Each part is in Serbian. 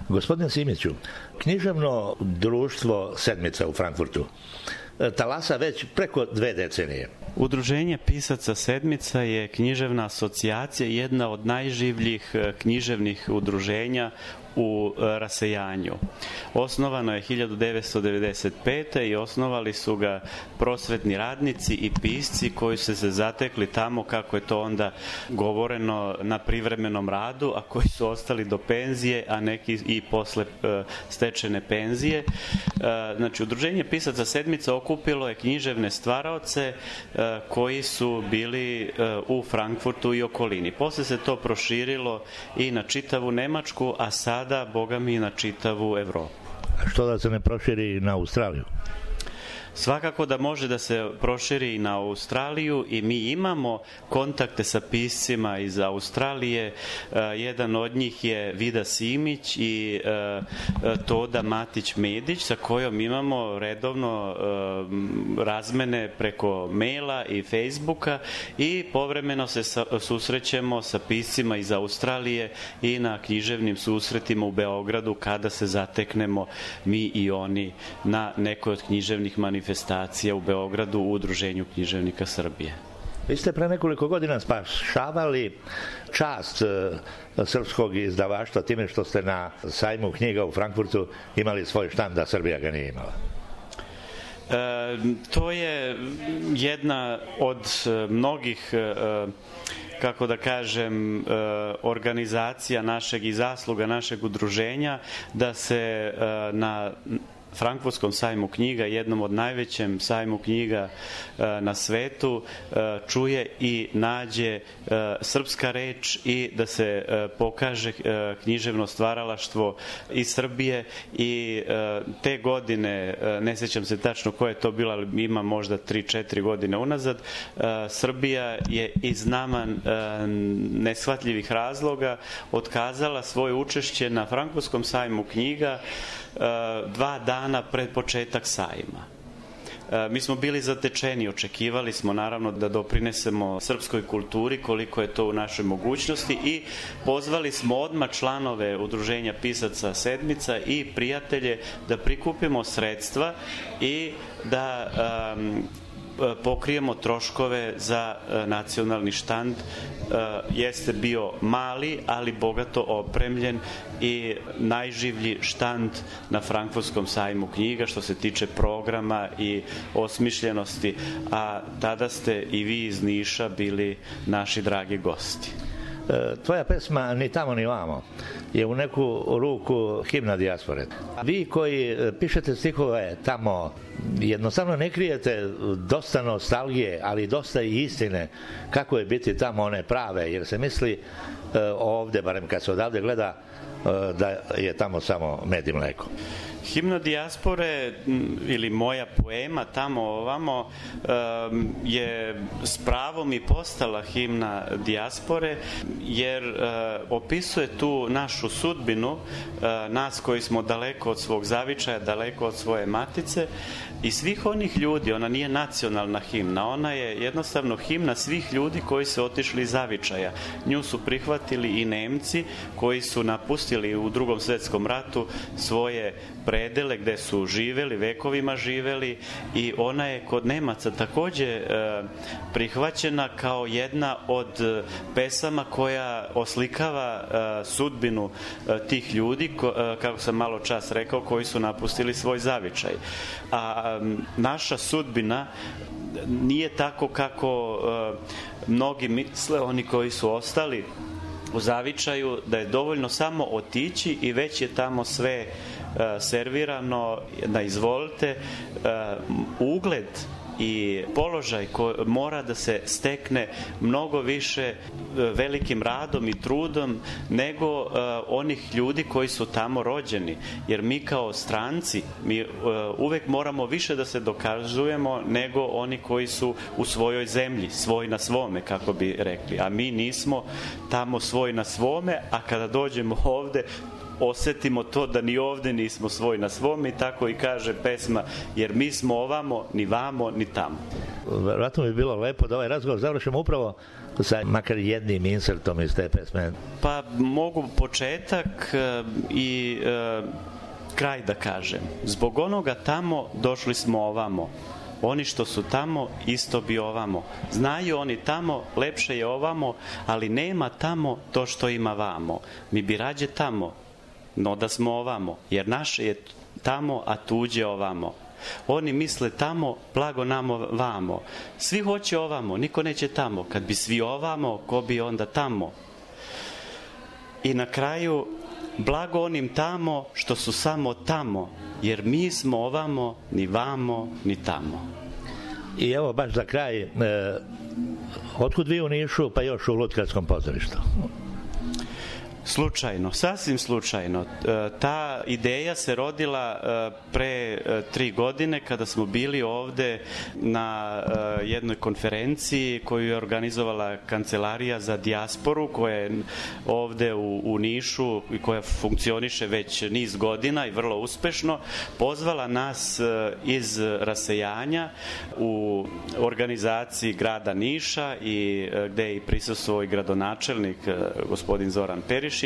Gospodine Simiću, književno društvo Sedmica u Frankfurtu talasa već preko 2 decenije. Udruženje pisaca Sedmica je književna asocijacija, jedna od najživljih književnih udruženja u rasejanju. Osnovano je 1995. i osnovali su ga prosvetni radnici i pisci koji su se zatekli tamo, kako je to onda govoreno, na privremenom radu, a koji su ostali do penzije, a neki i posle stečene penzije. Znači, Udruženje pisaca Sedmica okupilo je književne stvaraoce koji su bili u Frankfurtu i okolini. Posle se to proširilo i na čitavu Nemačku, a sada, boga mi, na čitavu Evropu. A što da se ne proširi na Australiju? Svakako da može da se proširi i na Australiju i mi imamo kontakte sa piscima iz Australije. Jedan od njih je Vida Simić i Toda Matić-Medić, sa kojom imamo redovno razmene preko maila i Facebooka i povremeno se susrećemo sa piscima iz Australije i na književnim susretima u Beogradu kada se zateknemo mi i oni na nekoj od književnih manifestacija u Beogradu u Udruženju književnika Srbije. Vi ste pre nekoliko godina spašavali čast srpskog izdavaštva time što ste na sajmu knjiga u Frankfurtu imali svoj štand, a Srbija ga nije imala. To je jedna od mnogih, kako da kažem, organizacija našeg i zasluga našeg udruženja da se na Frankfurtskom sajmu knjiga, jednom od najvećem sajmu knjiga na svetu, čuje i nađe srpska reč i da se pokaže književno stvaralaštvo iz Srbije. I te godine, ne sjećam se tačno koja je to bila, ali ima možda 3-4 godine unazad, Srbija je iz nama neshvatljivih razloga otkazala svoje učešće na Frankfurtskom sajmu knjiga 2 dana pred početak sajma. Mi smo bili zatečeni, očekivali smo naravno da doprinesemo srpskoj kulturi koliko je to u našoj mogućnosti i pozvali smo odmah članove Udruženja pisaca Sedmica i prijatelje da prikupimo sredstva i da pokrijemo troškove za nacionalni štand. Jeste bio mali, ali bogato opremljen i najživlji štand na Frankfurtskom sajmu knjiga što se tiče programa i osmišljenosti, a tada ste i vi iz Niša bili naši dragi gosti. Tvoja pesma Ni tamo ni vamo je u neku ruku himna dijaspore. Vi koji pišete stihove tamo jednostavno ne krijete dosta nostalgije, ali dosta i istine kako je biti tamo one prave, jer se misli ovde, barem kad se odavde gleda, da je tamo samo med i mleko. Himna dijaspore ili moja poema Tamo ovamo je s pravom i postala himna dijaspore, jer opisuje tu našu sudbinu, nas koji smo daleko od svog zavičaja, daleko od svoje matice i svih onih ljudi. Ona nije nacionalna himna, ona je jednostavno himna svih ljudi koji su otišli iz zavičaja. Nju su prihvatili i Nemci koji su napustili u Drugom svetskom ratu svoje predele gde su živeli, vekovima živeli, i ona je kod Nemaca takođe prihvaćena kao jedna od pesama koja oslikava sudbinu tih ljudi, kako sam malo čas rekao, koji su napustili svoj zavičaj. A naša sudbina nije tako kako mnogi misle, oni koji su ostali u zavičaju, da je dovoljno samo otići i već je tamo sve servirano, da izvolite. Ugled i položaj koji mora da se stekne mnogo više velikim radom i trudom nego onih ljudi koji su tamo rođeni, jer mi kao stranci mi uvek moramo više da se dokazujemo nego oni koji su u svojoj zemlji, svoj na svome, kako bi rekli, a mi nismo tamo svoj na svome, a kada dođemo ovde osetimo to da ni ovde nismo svoj na svom, i tako i kaže pesma, jer mi smo ovamo, ni vamo, ni tamo. Vratno bi bilo lepo da ovaj razgovor završimo upravo sa makar jednim insertom iz te pesme. Pa mogu početak i kraj da kažem. Zbog onoga tamo došli smo ovamo. Oni što su tamo, isto bi ovamo. Znaju oni tamo, lepše je ovamo, ali nema tamo to što ima vamo. Mi bi rađe tamo, no da smo ovamo, jer naše je tamo, a tuđe ovamo. Oni misle tamo, blago namo vamo. Svi hoće ovamo, niko neće tamo. Kad bi svi ovamo, ko bi onda tamo? I na kraju, blago onim tamo što su samo tamo, jer mi smo ovamo, ni vamo, ni tamo. I evo baš za kraj, otkud vi u Nišu, pa još u Lutkarskom pozorištu? Slučajno, sasvim slučajno. Ta ideja se rodila pre 3 godine kada smo bili ovde na jednoj konferenciji koju je organizovala Kancelarija za dijasporu, koja je ovde u Nišu i koja funkcioniše već niz godina i vrlo uspešno, pozvala nas iz rasejanja u organizaciji grada Niša, i gde je i prisustvovao i gradonačelnik gospodin Zoran Perišić.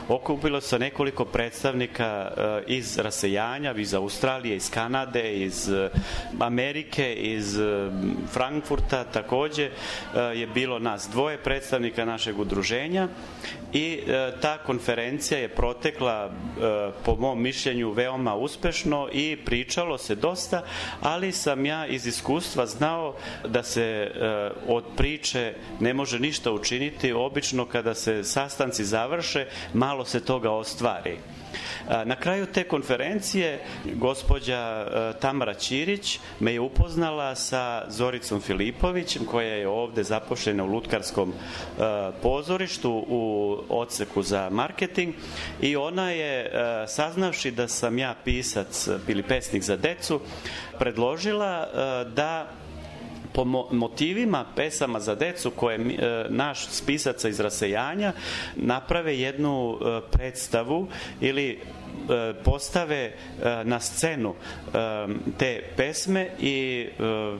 Okupilo se nekoliko predstavnika iz rasejanja, iz Australije, iz Kanade, iz Amerike, iz Frankfurta. Takođe je bilo nas 2 predstavnika našeg udruženja, i ta konferencija je protekla po mom mišljenju veoma uspešno i pričalo se dosta, ali sam ja iz iskustva znao da se od priče ne može ništa učiniti. Obično kada se sastanci završe, malo se toga ostvari. Na kraju te konferencije gospođa Tamara Ćirić me je upoznala sa Zoricom Filipovićem, koja je ovde zaposlena u Lutkarskom pozorištu u odseku za marketing, i ona je, saznavši da sam ja pisac ili pesnik za decu, predložila da po motivima pesama za decu koje naš spisaca iz rasejanja naprave jednu predstavu ili postave na scenu te pesme, i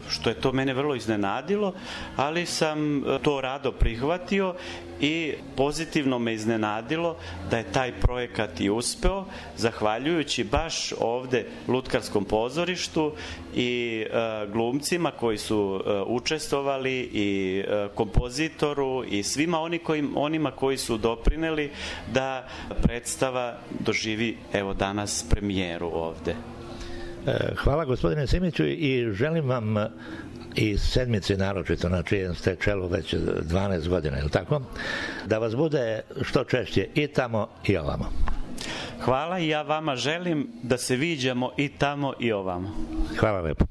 što je to mene vrlo iznenadilo, ali sam to rado prihvatio i pozitivno me iznenadilo da je taj projekat i uspeo, zahvaljujući baš ovde Lutkarskom pozorištu i glumcima koji su učestvovali, i kompozitoru, i svima onima koji su doprineli da predstava doživi evo danas premijeru ovde. Hvala gospodine Simiću, i želim vam i sedmici naročito, na čijem ste čelu već 12 godina, je li tako? Da vas bude što češće i tamo i ovamo. Hvala, i ja vama želim da se viđamo i tamo i ovamo. Hvala lepo.